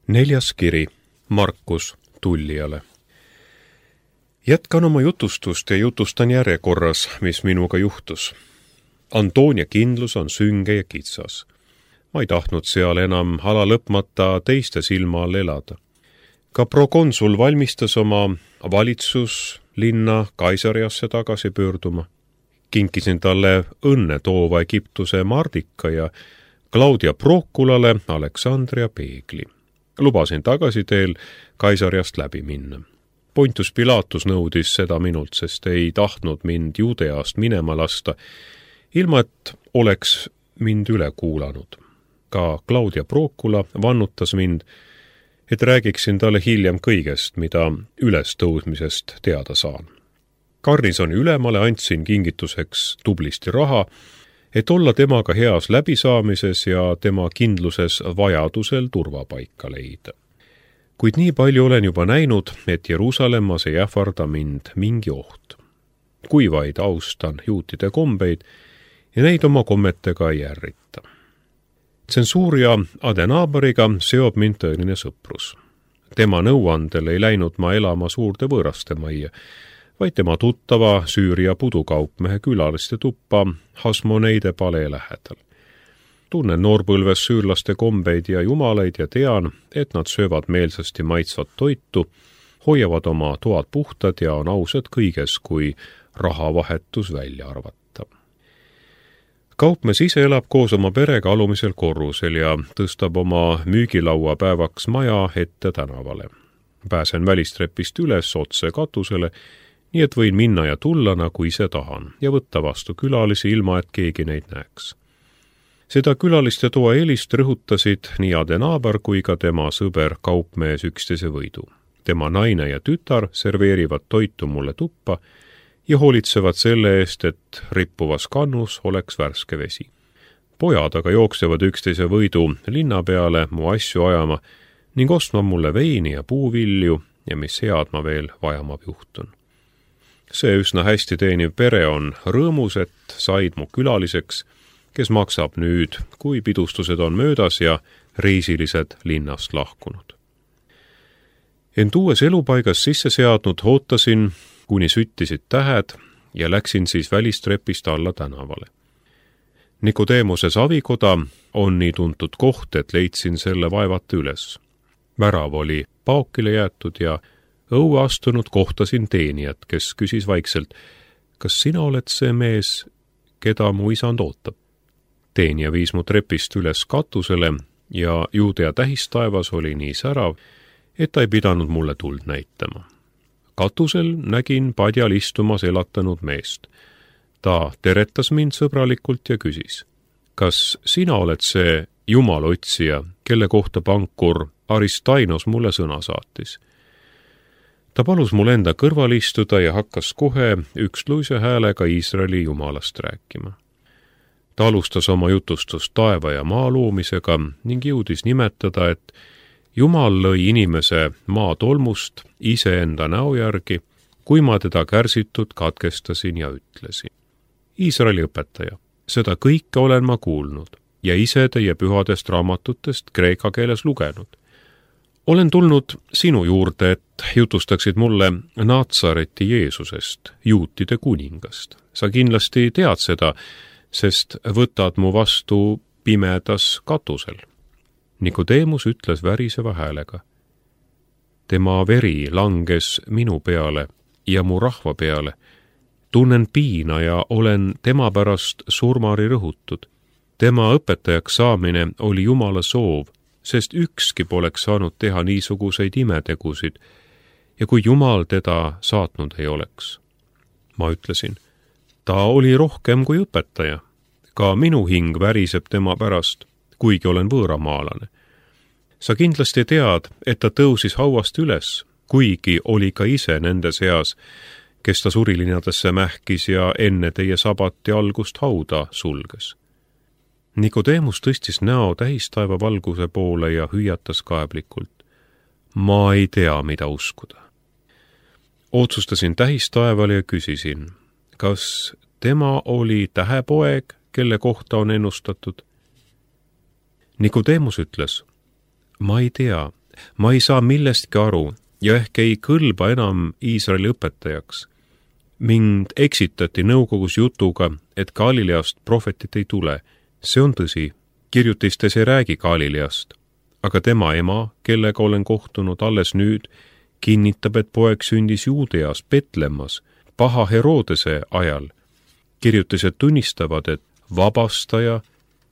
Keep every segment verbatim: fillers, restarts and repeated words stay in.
Neljas kiri Markus tullijale. Jätkan oma jutustust ja jutustan järjekorras, mis minuga juhtus. Antonia kindlus on sünge ja kitsas. Ma ei tahtnud seal enam hala lõpmata teiste silma all elada. Ka prokonsul valmistas oma valitsus linna Kaisariasse tagasi pöörduma. Kinkisin talle õnne toova Egiptuse Mardika ja Claudia Proculale Aleksandria peegli. Lubasin tagasiteel Kaisariast läbi minna. Pontius Pilatus nõudis seda minult, sest ei tahtnud mind Juudeast minema lasta, ilma et oleks mind üle kuulanud. Ka Claudia Procula vannutas mind, et räägiksin talle hiljem kõigest, mida ülestõusmisest teada saan. Garnisoni ülemale andsin kingituseks tublisti raha, et olla temaga heas läbisaamises ja tema kindluses vajadusel turvapaika leida. Kuid nii palju olen juba näinud, et Jeruusalemmas ei ähvarda mind mingi oht. Kui vaid austan juutide kombeid ja neid oma kommetega ei ärrita. Tsensuuria Adenabariga seob mind tõeline sõprus. Tema nõuandel ei läinud ma elama suurde võõraste majja, vaid tema tuttava Süüria pudukaupmehe külaliste tuppa Hasmoneide palee lähedal. Tunnen noorpõlves süürlaste kombeid ja jumalaid ja tean, et nad söövad meelsasti maitsvat toitu, hoiavad oma toad puhtad ja on ausad kõiges, kui rahavahetus välja arvata. Kaupmees ise elab koos oma perega alumisel korrusel ja tõstab oma müügilaua päevaks maja ette tänavale. Pääsen välistrepist üles otse katusele, nii et võin minna ja tulla, nagu ise tahan, ja võtta vastu külalisi, ilma et keegi neid näeks. Seda külaliste toa eelist rõhutasid nii Adenabar kui ka tema sõber kaupmees üksteise võidu. Tema naine ja tütar serveerivad toitu mulle tuppa ja hoolitsevad selle eest, et rippuvas kannus oleks värske vesi. Pojad aga jooksevad üksteise võidu linna peale mu asju ajama ning ostma mulle veini ja puuvilju ja mis head ma veel vajama juhtun. See üsna hästi teeniv pere on rõõmus, et said mu külaliseks, kes maksab nüüd, kui pidustused on möödas ja reisilised linnast lahkunud. Ent uues elupaigas sisse seadnud ootasin, kuni süttisid tähed ja läksin siis välistrepist alla tänavale. Nikodeemuse savikoda on nii tuntud koht, et leidsin selle vaevata üles. Värav oli paokile jäetud ja õue astunud kohtasin teenijat, kes küsis vaikselt, kas sina oled see mees, keda mu isand ootab? Teenija viis mu trepist üles katusele ja Juudea tähistaevas oli nii särav, et ta ei pidanud mulle tuld näitama. Katusel nägin padjal istumas elatanud meest. Ta teretas mind sõbralikult ja küsis, kas sina oled see jumalotsija, kelle kohta pankur Aristainos mulle sõna saatis? Ta palus mul enda kõrval istuda ja hakkas kohe üksluise häälega Iisraeli jumalast rääkima. Ta alustas oma jutustust taeva ja maa loomisega ning jõudis nimetada, et Jumal lõi inimese maa tolmust iseenda näo järgi, kui ma teda kärsitud katkestasin ja ütlesin. Iisraeli õpetaja, seda kõike olen ma kuulnud ja ise teie pühadest raamatutest kreeka keeles lugenud. Olen tulnud sinu juurde, et jutustaksid mulle Naatsareti Jeesusest, juutide kuningast. Sa kindlasti tead seda, sest võtad mu vastu pimedas katusel. Nikodeemus ütles väriseva häälega. Tema veri langes minu peale ja mu rahva peale. Tunnen piina ja olen tema pärast surmari rõhutud. Tema õpetajaks saamine oli Jumala soov, sest ükski poleks saanud teha niisuguseid imetegusid, ja kui Jumal teda saatnud ei oleks. Ma ütlesin, ta oli rohkem kui õpetaja. Ka minu hing väriseb tema pärast, kuigi olen võõramaalane. Sa kindlasti tead, et ta tõusis hauast üles, kuigi oli ka ise nende seas, kes ta surilinadesse mähkis ja enne teie sabati algust hauda sulges. Nikodeemus tõstis näo tähistaeva valguse poole ja hüüatas kaeblikult. Ma ei tea, mida uskuda. Otsustasin tähistaevale ja küsisin, kas tema oli tähepoeg, kelle kohta on ennustatud? Nikodeemus ütles, ma ei tea, ma ei saa millestki aru ja ehk ei kõlba enam Iisraeli õpetajaks. Mind eksitati nõukogus jutuga, et Galileast prohvetit ei tule. See on tõsi, kirjutistes ei räägi Galileast, aga tema ema, kellega olen kohtunud alles nüüd, kinnitab, et poeg sündis Juudeas, Petlemmas, paha Herodese ajal. Kirjutised tunnistavad, et vabastaja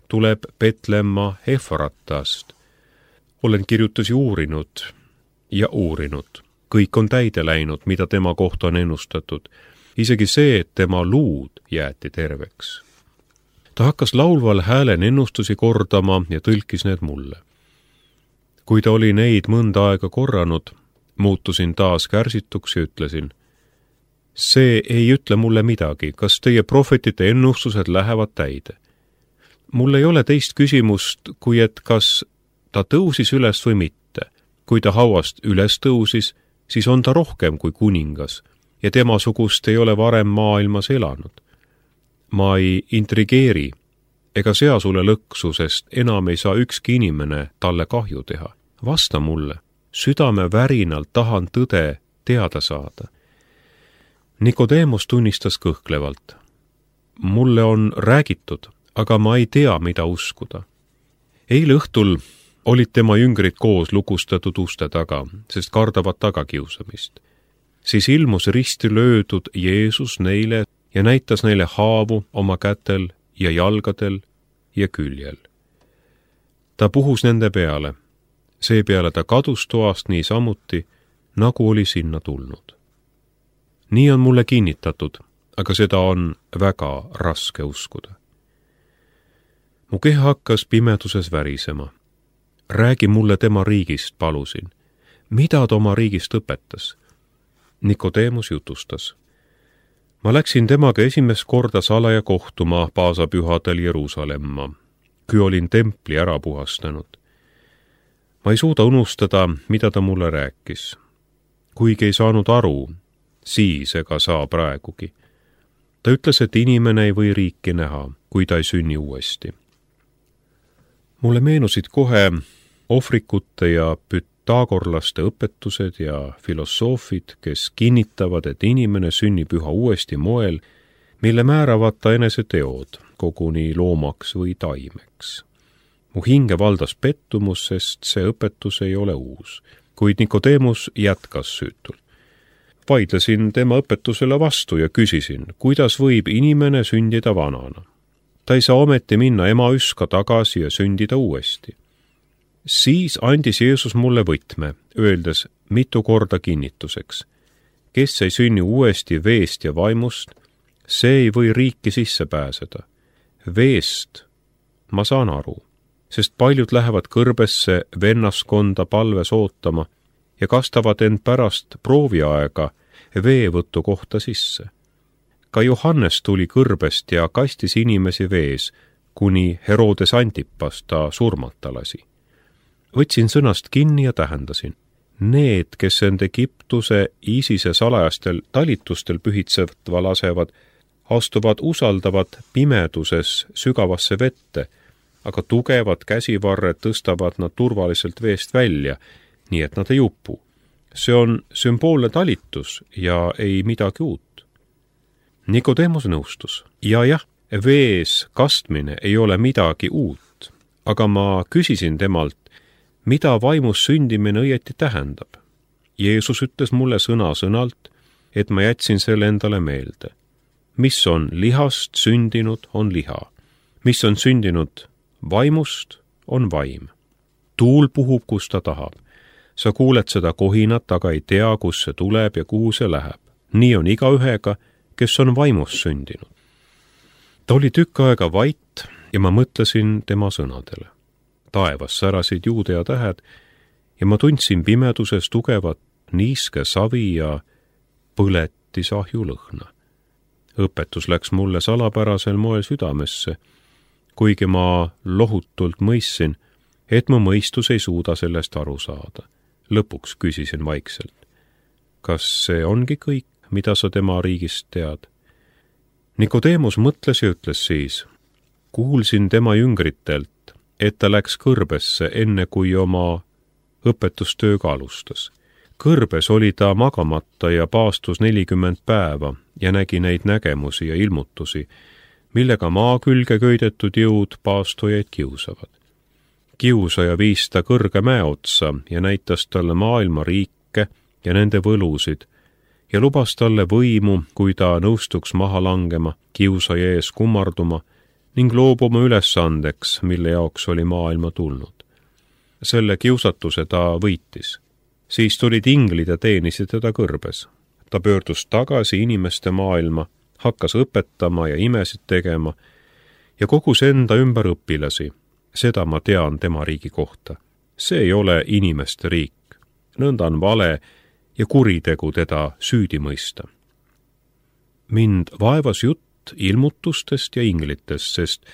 tuleb Petlemma Efratast. Olen kirjutusi uurinud ja uurinud. Kõik on täide läinud, mida tema kohta on ennustatud. Isegi see, et tema luud jäeti terveks. Ta hakkas laulval häälen ennustusi kordama ja tõlkis need mulle. Kui ta oli neid mõnda aega korranud, muutusin taas kärsituks ja ütlesin, see ei ütle mulle midagi, kas teie prohvetite ennustused lähevad täide. Mul ei ole teist küsimust, kui et kas ta tõusis üles või mitte. Kui ta hauast üles tõusis, siis on ta rohkem kui kuningas ja tema sugust ei ole varem maailmas elanud. Ma ei intrigeeri ega sea sulle lõksu, sest enam ei saa ükski inimene talle kahju teha. Vasta mulle, südame värinalt tahan tõde teada saada. Nikodemus tunnistas kõhklevalt. Mulle on räägitud, aga ma ei tea, mida uskuda. Eile õhtul olid tema jüngrid koos lukustatud uste taga, sest kardavad tagakiusamist. Siis ilmus risti löödud Jeesus neile ja näitas neile haavu oma kätel ja jalgadel ja küljel. Ta puhus nende peale. Seepeale ta kadus toast nii samuti, nagu oli sinna tulnud. Nii on mulle kinnitatud, aga seda on väga raske uskuda. Mu keha hakkas pimeduses värisema. Räägi mulle tema riigist, palusin. Mida ta oma riigist õpetas? Nikodemus jutustas. Ma läksin temaga esimest korda salaja kohtuma paasapühadel Jeruusalemma, kui olin templi ära puhastanud. Ma ei suuda unustada, mida ta mulle rääkis. Kuigi ei saanud aru, siis ega saa praegugi. Ta ütles, et inimene ei või riiki näha, kui ta ei sünni uuesti. Mulle meenusid kohe ohvrikute ja Pythagorlaste õpetused ja filosoofid, kes kinnitavad, et inimene sünnib üha uuesti moel, mille määravad ta enese teod, koguni loomaks või taimeks. Mu hinge valdas pettumus, sest see õpetus ei ole uus, kuid Nikodemus jätkas süütul. Vaidlesin tema õpetusele vastu ja küsisin, kuidas võib inimene sündida vanana. Ta ei saa ometi minna ema üska tagasi ja sündida uuesti. Siis andis Jeesus mulle võtme, öeldes mitu korda kinnituseks. Kes ei sünni uuesti veest ja vaimust, see ei või riiki sisse pääseda. Veest ma saan aru, sest paljud lähevad kõrbesse vennaskonda palves ootama ja kastavad end pärast prooviaega veevõtu kohta sisse. Ka Johannes tuli kõrbest ja kastis inimesi vees, kuni Herodes Antipas ta surmata lasi. Võtsin sõnast kinni ja tähendasin. Need, kes end Egiptuse Iisise salajastel talitustel pühitsevatva lasevad, astuvad usaldavad pimeduses sügavasse vette, aga tugevad käsivarred tõstavad nad turvaliselt veest välja, nii et nad ei upu. See on sümboolne talitus ja ei midagi uut. Nikodemus nõustus. Ja jah, vees kastmine ei ole midagi uut, aga ma küsisin temalt, mida vaimus sündimine õieti tähendab. Jeesus ütles mulle sõna-sõnalt, et ma jätsin selle endale meelde. Mis on lihast sündinud, on liha. Mis on sündinud vaimust, on vaim. Tuul puhub, kus ta tahab. Sa kuuled seda kohinat, aga ei tea, kus see tuleb ja kuhu see läheb. Nii on igaühega, kes on vaimust sündinud. Ta oli tükk aega vait ja ma mõtlesin tema sõnadele. Taevas särasid Juudea tähed ja ma tundsin pimeduses tugevat niiske savi ja põletis ahju lõhna. Õpetus läks mulle salapärasel moel südamesse, kuigi ma lohutult mõistsin, et mu mõistus ei suuda sellest aru saada. Lõpuks küsisin vaikselt, kas see ongi kõik, mida sa tema riigist tead? Nikodemus mõtles ja ütles siis, kuulsin tema jüngritelt, et ta läks kõrbesse enne kui oma õpetustööga alustas. Kõrbes oli ta magamata ja paastus nelikümmend päeva ja nägi neid nägemusi ja ilmutusi, millega maa külge köidetud jõud paastujaid kiusavad. Kiusaja viis ta kõrge mäe otsa ja näitas talle maailma riike ja nende võlusid ja lubas talle võimu, kui ta nõustuks maha langema, kiusaja ees kummarduma ning loobuma ülesandeks, mille jaoks oli maailma tulnud. Selle kiusatuse ta võitis. Siis tulid inglid ja teenisid teda kõrbes. Ta pöördus tagasi inimeste maailma, hakkas õpetama ja imesid tegema ja kogus enda ümber õpilasi. Seda ma tean tema riigi kohta. See ei ole inimeste riik. Nõnda on vale ja kuritegu teda süüdi mõista. Mind vaevas jutt ilmutustest ja inglitest, sest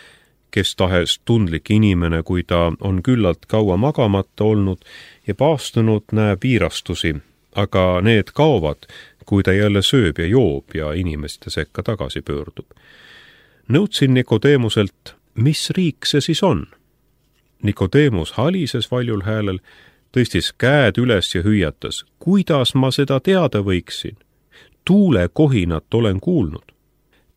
kes tahes tundlik inimene, kui ta on küllalt kaua magamata olnud ja paastunud, näeb viirastusi, aga need kaovad, kui ta jälle sööb ja joob ja inimeste sekka tagasi pöördub. Nõudsin Nikodeemuselt, mis riik see siis on? Nikodeemus halises valjul häälel, tõstis käed üles ja hüüatas, kuidas ma seda teada võiksin? Tuule kohinat olen kuulnud.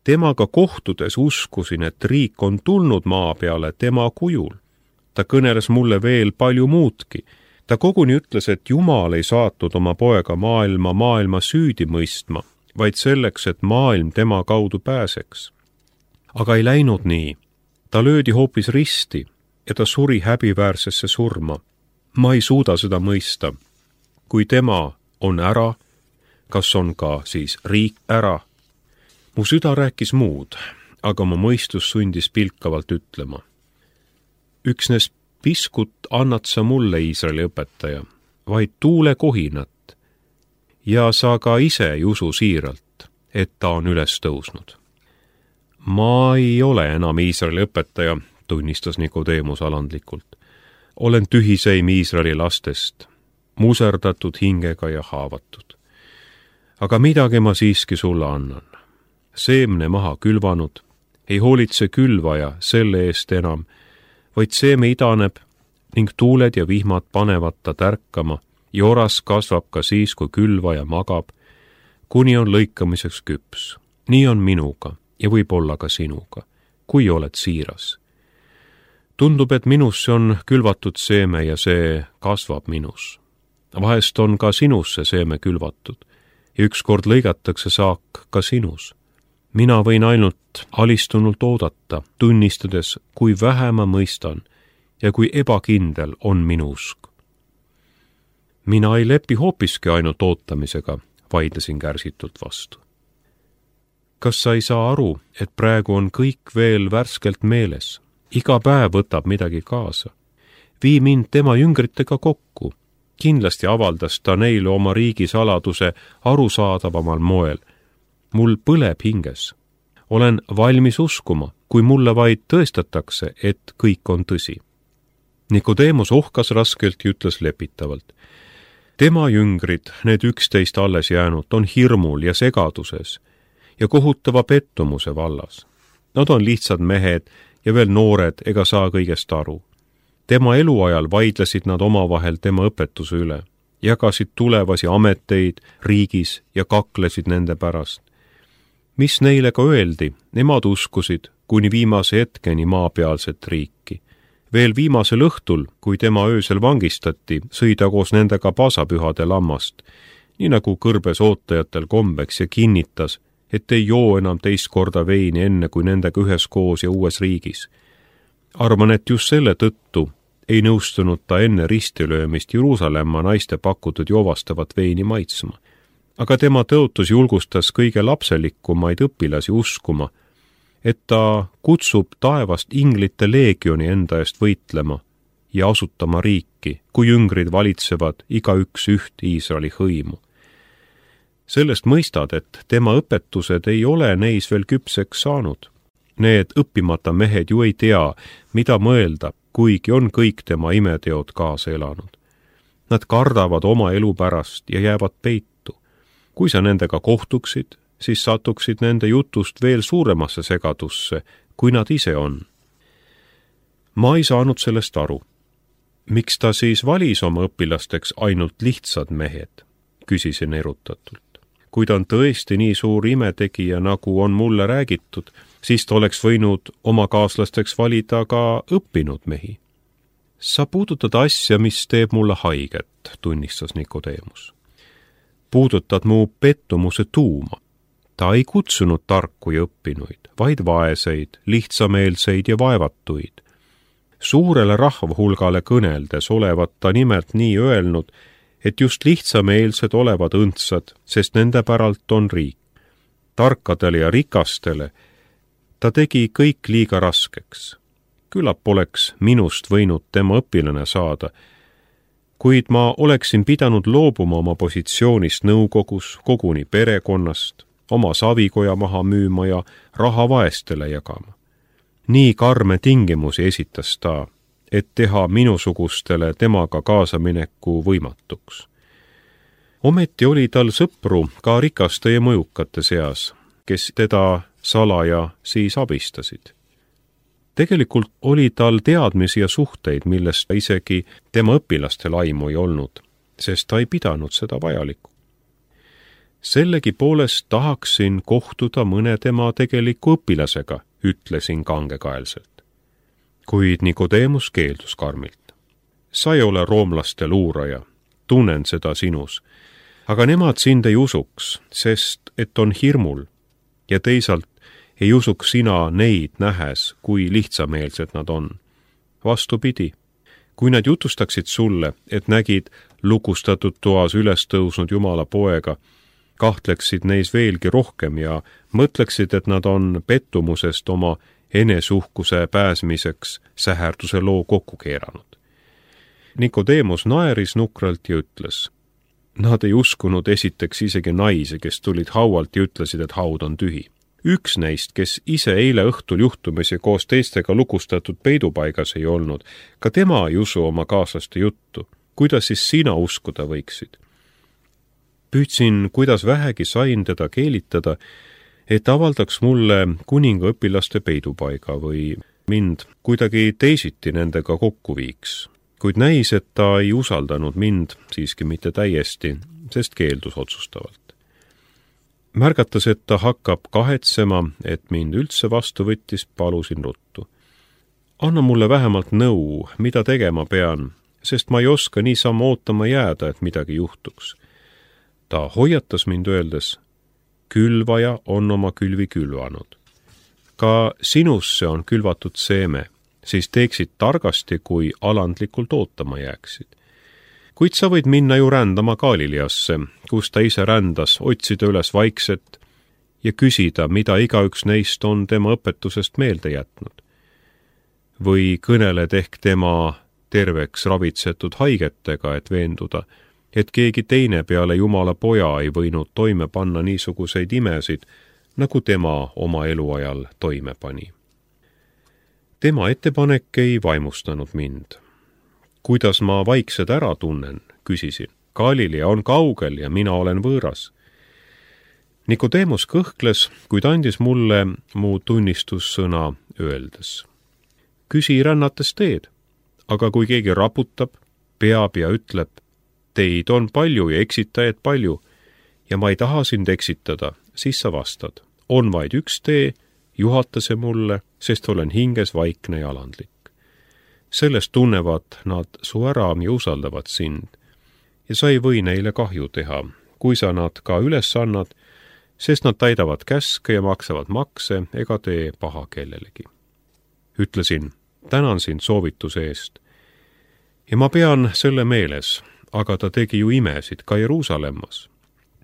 Temaga kohtudes uskusin, et riik on tulnud maa peale tema kujul. Ta kõneles mulle veel palju muudki. Ta koguni ütles, et Jumal ei saatnud oma poega maailma maailma süüdi mõistma, vaid selleks, et maailm tema kaudu pääseks. Aga ei läinud nii. Ta löödi hoopis risti ja ta suri häbiväärsesse surma. Ma ei suuda seda mõista. Kui tema on ära, kas on ka siis riik ära? Mu süda rääkis muud, aga mu mõistus sundis pilkavalt ütlema. Üksnes piskut annad sa mulle, Iisraeli õpetaja, vaid tuule kohinat, ja sa ka ise ei usu siiralt, et ta on üles tõusnud. Ma ei ole enam Iisraeli õpetaja, tunnistas Nikodeemus alandlikult. Olen tühiseim Iisraeli lastest, muserdatud hingega ja haavatud. Aga midagi ma siiski sulle annan. Seemne maha külvanud, ei hoolitse külvaja selle eest enam, vaid seeme idaneb ning tuuled ja vihmad panevad ta tärkama ja oras kasvab ka siis, kui külvaja magab, kuni on lõikamiseks küps. Nii on minuga ja võib-olla ka sinuga, kui oled siiras. Tundub, et minusse on külvatud seeme ja see kasvab minus. Vahest on ka sinusse seeme külvatud ja ükskord lõigatakse saak ka sinus. Mina võin ainult alistunult oodata, tunnistades, kui vähe ma mõistan ja kui ebakindel on minu usk. Mina ei lepi hoopiski ainult ootamisega, vaidlesin kärsitult vastu. Kas sa ei saa aru, et praegu on kõik veel värskelt meeles? Iga päev võtab midagi kaasa. Vii mind tema jüngritega kokku. Kindlasti avaldas ta neile oma riigi saladuse arusaadavamal moel. Mul põleb hinges. Olen valmis uskuma, kui mulle vaid tõestatakse, et kõik on tõsi. Nikodeemus ohkas raskelt ja ütles lepitavalt. Tema jüngrid, need üksteist alles jäänud, on hirmul ja segaduses ja kohutava pettumuse vallas. Nad on lihtsad mehed ja veel noored ega saa kõigest aru. Tema eluajal vaidlesid nad omavahel tema õpetuse üle, jagasid tulevasi ameteid riigis ja kaklesid nende pärast. Mis neile ka öeldi, nemad uskusid kuni viimase hetkeni maapealset riiki. Veel viimasel õhtul, kui tema öösel vangistati, sõi ta koos nendega pasapühade lammast, nii nagu kõrbes ootajatel kombeks ja kinnitas, et ei joo enam teist korda veini enne kui nendega ühes koos ja uues riigis. Arvan, et just selle tõttu ei nõustunud ta enne ristilöömist Jeruusalemma naiste pakutud joovastavat veini maitsma. Aga tema tõotus julgustas kõige lapselikumaid õpilasi uskuma, et ta kutsub taevast inglite leegioni enda eest võitlema ja asutama riiki, kui jüngrid valitsevad igaüks üht Iisraeli hõimu. Sellest mõistad, et tema õpetused ei ole neis veel küpseks saanud. Need õppimata mehed ju ei tea, mida mõelda, kuigi on kõik tema imeteod kaasa elanud. Nad kardavad oma elu pärast ja jäävad peitu. Kui sa nendega kohtuksid, siis satuksid nende jutust veel suuremasse segadusse, kui nad ise on. Ma ei saanud sellest aru. Miks ta siis valis oma õpilasteks ainult lihtsad mehed? Küsisin erutatult. Kui ta on tõesti nii suur imetegija, nagu on mulle räägitud, siis ta oleks võinud oma kaaslasteks valida ka õppinud mehi. Sa puudutad asja, mis teeb mulle haiget, tunnistas Nikodeemus. Puudutad mu pettumuse tuuma. Ta ei kutsunud tarku ja õppinuid, vaid vaeseid, lihtsameelseid ja vaevatuid. Suurele rahvahulgale kõneldes olevat ta nimelt nii öelnud, et just lihtsameelsed olevad õndsad, sest nende päralt on riik. Tarkadele ja rikastele ta tegi kõik liiga raskeks. Küllap poleks minust võinud tema õpilane saada, kuid ma oleksin pidanud loobuma oma positsioonist nõukogus, koguni perekonnast, oma savikoja maha müüma ja raha vaestele jagama. Nii karme tingimusi esitas ta, et teha minusugustele temaga kaasamineku võimatuks. Ometi oli tal sõpru ka rikaste ja mõjukate seas, kes teda salaja siis abistasid. Tegelikult oli tal teadmisi ja suhteid, millest isegi tema õpilastel aimu ei olnud, sest ta ei pidanud seda vajalikku. Sellegi poolest tahaksin kohtuda mõne tema tegeliku õpilasega, ütlesin kangekaelselt. Kuid Nikodeemus keeldus karmilt. Sa ei ole roomlaste luuraja, tunnen seda sinus, aga nemad sind ei usuks, sest et on hirmul ja teisalt ei usuks sina neid nähes, kui lihtsameelsed nad on. Vastupidi, kui nad jutustaksid sulle, et nägid lukustatud toas üles tõusnud Jumala poega, kahtleksid neis veelgi rohkem ja mõtleksid, et nad on pettumusest oma enesuhkuse pääsmiseks säherduse loo kokku keeranud. Nikodeemus naeris nukralt ja ütles, nad ei uskunud esiteks isegi naisi, kes tulid haualt ja ütlesid, et haud on tühi. Üks neist, kes ise eile õhtul juhtumisi koos teistega lukustatud peidupaigas ei olnud, ka tema ei usu oma kaaslaste juttu. Kuidas siis sina uskuda võiksid? Püüdsin, kuidas vähegi sain teda keelitada, et avaldaks mulle kuninga õpilaste peidupaiga või mind kuidagi teisiti nendega kokku viiks. Kuid näis, et ta ei usaldanud mind siiski mitte täiesti, sest keeldus otsustavalt. Märgates, et ta hakkab kahetsema, et mind üldse vastu võttis, palusin ruttu. Anna mulle vähemalt nõu, mida tegema pean, sest ma ei oska niisama ootama jääda, et midagi juhtuks. Ta hoiatas mind öeldes, külvaja on oma külvi külvanud. Ka sinusse on külvatud seeme, siis teeksid targasti, kui alandlikult ootama jääksid. Kuid sa võid minna ju rändama Galileasse, kus ta ise rändas, otsida üles vaikset ja küsida, mida igaüks neist on tema õpetusest meelde jätnud. Või kõneled ehk tema terveks ravitsetud haigetega, et veenduda, et keegi teine peale Jumala poja ei võinud toime panna niisuguseid imesid, nagu tema oma eluajal toime pani. Tema ettepanek ei vaimustanud mind. Kuidas ma vaiksed ära tunnen, küsisin. Galilea on kaugel ja mina olen võõras. Nikodeemus kõhkles, kuid andis mulle mu tunnistussõna öeldes. Küsi rännates teed, aga kui keegi raputab, peab ja ütleb, teid on palju ja eksitajaid palju ja ma ei taha sind eksitada, siis sa vastad. On vaid üks tee, juhata see mulle, sest olen hinges vaikne ja alandlik. Sellest tunnevad nad su ära ja usaldavad sind ja sa ei või neile kahju teha, kui sa nad ka üles annad, sest nad täidavad käske ja maksavad makse ega tee paha kellelegi. Ütlesin, tänan sind soovituse eest ja ma pean selle meeles, aga ta tegi ju imesid ka Jeruusalemmas.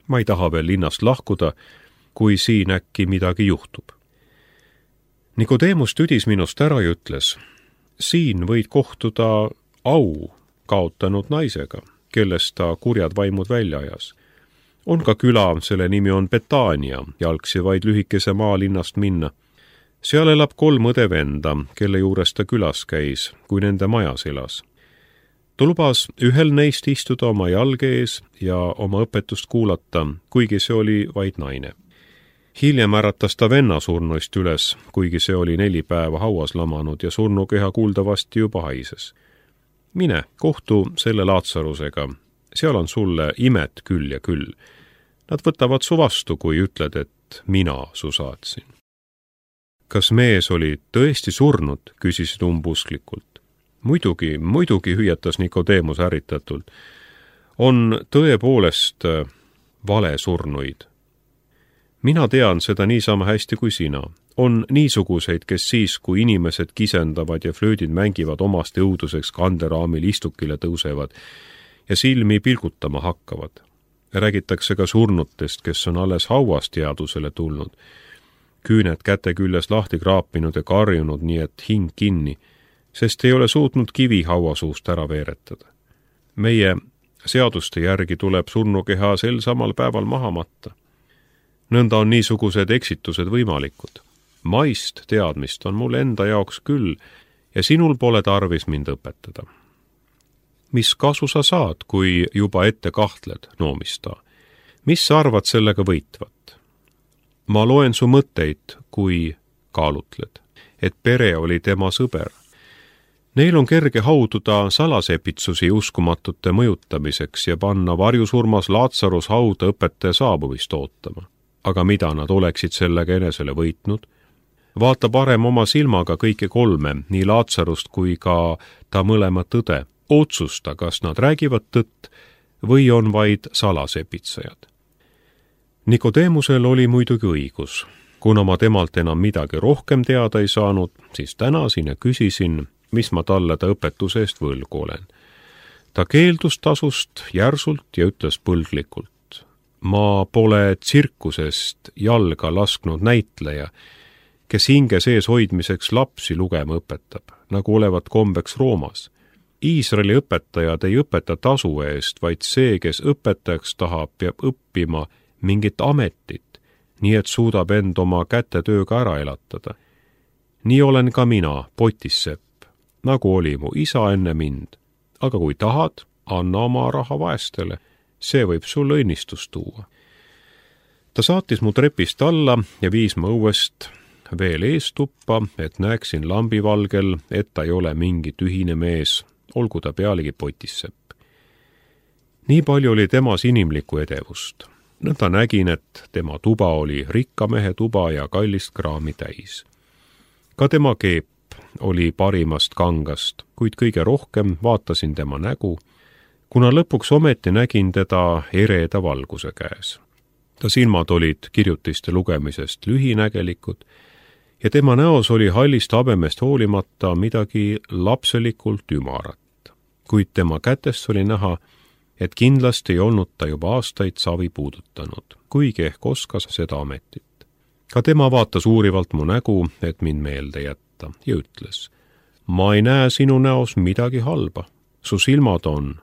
Ma ei taha veel linnast lahkuda, kui siin äkki midagi juhtub. Nikodeemus tüdis minust ära ja ütles, siin võid kohtuda au kaotanud naisega, kellest ta kurjad vaimud välja ajas. On ka küla, selle nimi on Betania, jalgsi vaid lühikese maalinnast minna. Seal elab kolm õde venda, kelle juures ta külas käis, kui nende majas elas. Ta lubas ühel neist istuda oma jalge ees ja oma õpetust kuulata, kuigi see oli vaid naine. Hiljem äratas ta venna surnuist üles, kuigi see oli neli päeva hauas lamanud ja surnukeha kuuldavasti juba haises. Mine, kohtu selle Laatsarusega, seal on sulle imet küll ja küll. Nad võtavad su vastu, kui ütled, et mina su saatsin. Kas mees oli tõesti surnud, küsisid umbusklikult. Muidugi, muidugi, hüüatas Nikodeemus ärritatult. On tõepoolest vale surnuid. Mina tean seda niisama hästi kui sina. On niisuguseid, kes siis, kui inimesed kisendavad ja flöödid mängivad omast õuduseks kanderaamil istukile tõusevad ja silmi pilgutama hakkavad. Räägitakse ka surnutest, kes on alles hauast teadusele tulnud. Küüned käte küljes lahti kraapinud ja karjunud, nii et hing kinni, sest ei ole suutnud kivi hauasuust ära veeretada. Meie seaduste järgi tuleb surnukeha sel samal päeval maha matta. Nõnda on niisugused eksitused võimalikud. Maist teadmist on mul enda jaoks küll ja sinul pole tarvis mind õpetada. Mis kasu sa saad, kui juba ette kahtled, noomis ta? Mis sa arvad sellega võitvat? Ma loen su mõtteid, kui kaalutled, et pere oli tema sõber. Neil on kerge haududa salasepitsusi uskumatute mõjutamiseks ja panna varjusurmas Laatsarus hauda õpetaja saabumist ootama. Aga mida nad oleksid sellega enesele võitnud? Vaata parem oma silmaga kõike kolme, nii Laatsarust kui ka ta mõlema tõde. Otsusta, kas nad räägivad tõtt või on vaid salasepitsejad. Nikodeemusel oli muidugi õigus. Kuna ma temalt enam midagi rohkem teada ei saanud, siis tänasin ja küsisin, mis ma talle ta õpetuse eest võlgu olen. Ta keeldus tasust järsult ja ütles põlglikult. Ma pole tsirkusest jalga lasknud näitleja, kes hinge sees hoidmiseks lapsi lugema õpetab, nagu olevat kombeks Roomas. Iisraeli õpetajad ei õpeta tasu eest, vaid see, kes õpetajaks tahab, peab õppima mingit ametit, nii et suudab end oma kätetööga ära elatada. Nii olen ka mina, potissepp, nagu oli mu isa enne mind. Aga kui tahad, anna oma raha vaestele, see võib sulle õnnistust tuua. Ta saatis mu trepist alla ja viis mu õuest veel eestuppa, et näeksin lambivalgel, et ta ei ole mingi tühine mees, olgu ta pealegi potissepp. Nii palju oli temas inimlikku edevust. Nõnda nägin, et tema tuba oli rikkamehe tuba ja kallist kraami täis. Ka tema keep oli parimast kangast, kuid kõige rohkem vaatasin tema nägu, kuna lõpuks ometi nägin teda ereda valguse käes. Ta silmad olid kirjutiste lugemisest lühinägelikud ja tema näos oli hallist habemest hoolimata midagi lapselikult ümarat. Kuid tema kätest oli näha, et kindlasti ei olnud ta juba aastaid savi puudutanud, kuigi ehk oskas seda ametit. Ka tema vaatas uurivalt mu nägu, et mind meelde jätta, ja ütles, ma ei näe sinu näos midagi halba. Su silmad on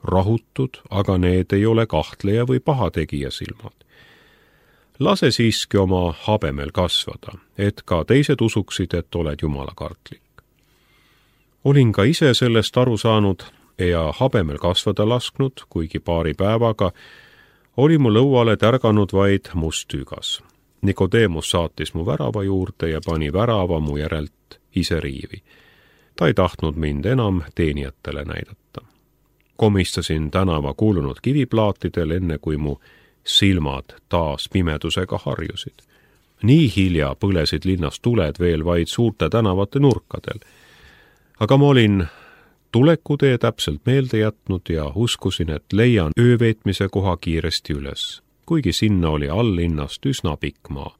rahutud, aga need ei ole kahtleja või pahategija silmad. Lase siiski oma habemel kasvada, et ka teised usuksid, et oled jumalakartlik. Olin ka ise sellest aru saanud ja habemel kasvada lasknud, kuigi paari päevaga oli mu lõuale tärganud vaid must tüügas. Nikodeemus saatis mu värava juurde ja pani värava mu järelt ise riivi. Ta ei tahtnud mind enam teenijatele näidata. Komistasin tänava kuulunud kiviplaatidel, enne kui mu silmad taas pimedusega harjusid. Nii hilja põlesid linnas tuled veel vaid suurte tänavate nurkadel. Aga ma olin tulekutee täpselt meelde jätnud ja uskusin, et leian ööveetmise koha kiiresti üles, kuigi sinna oli all linnast üsna pikk maa.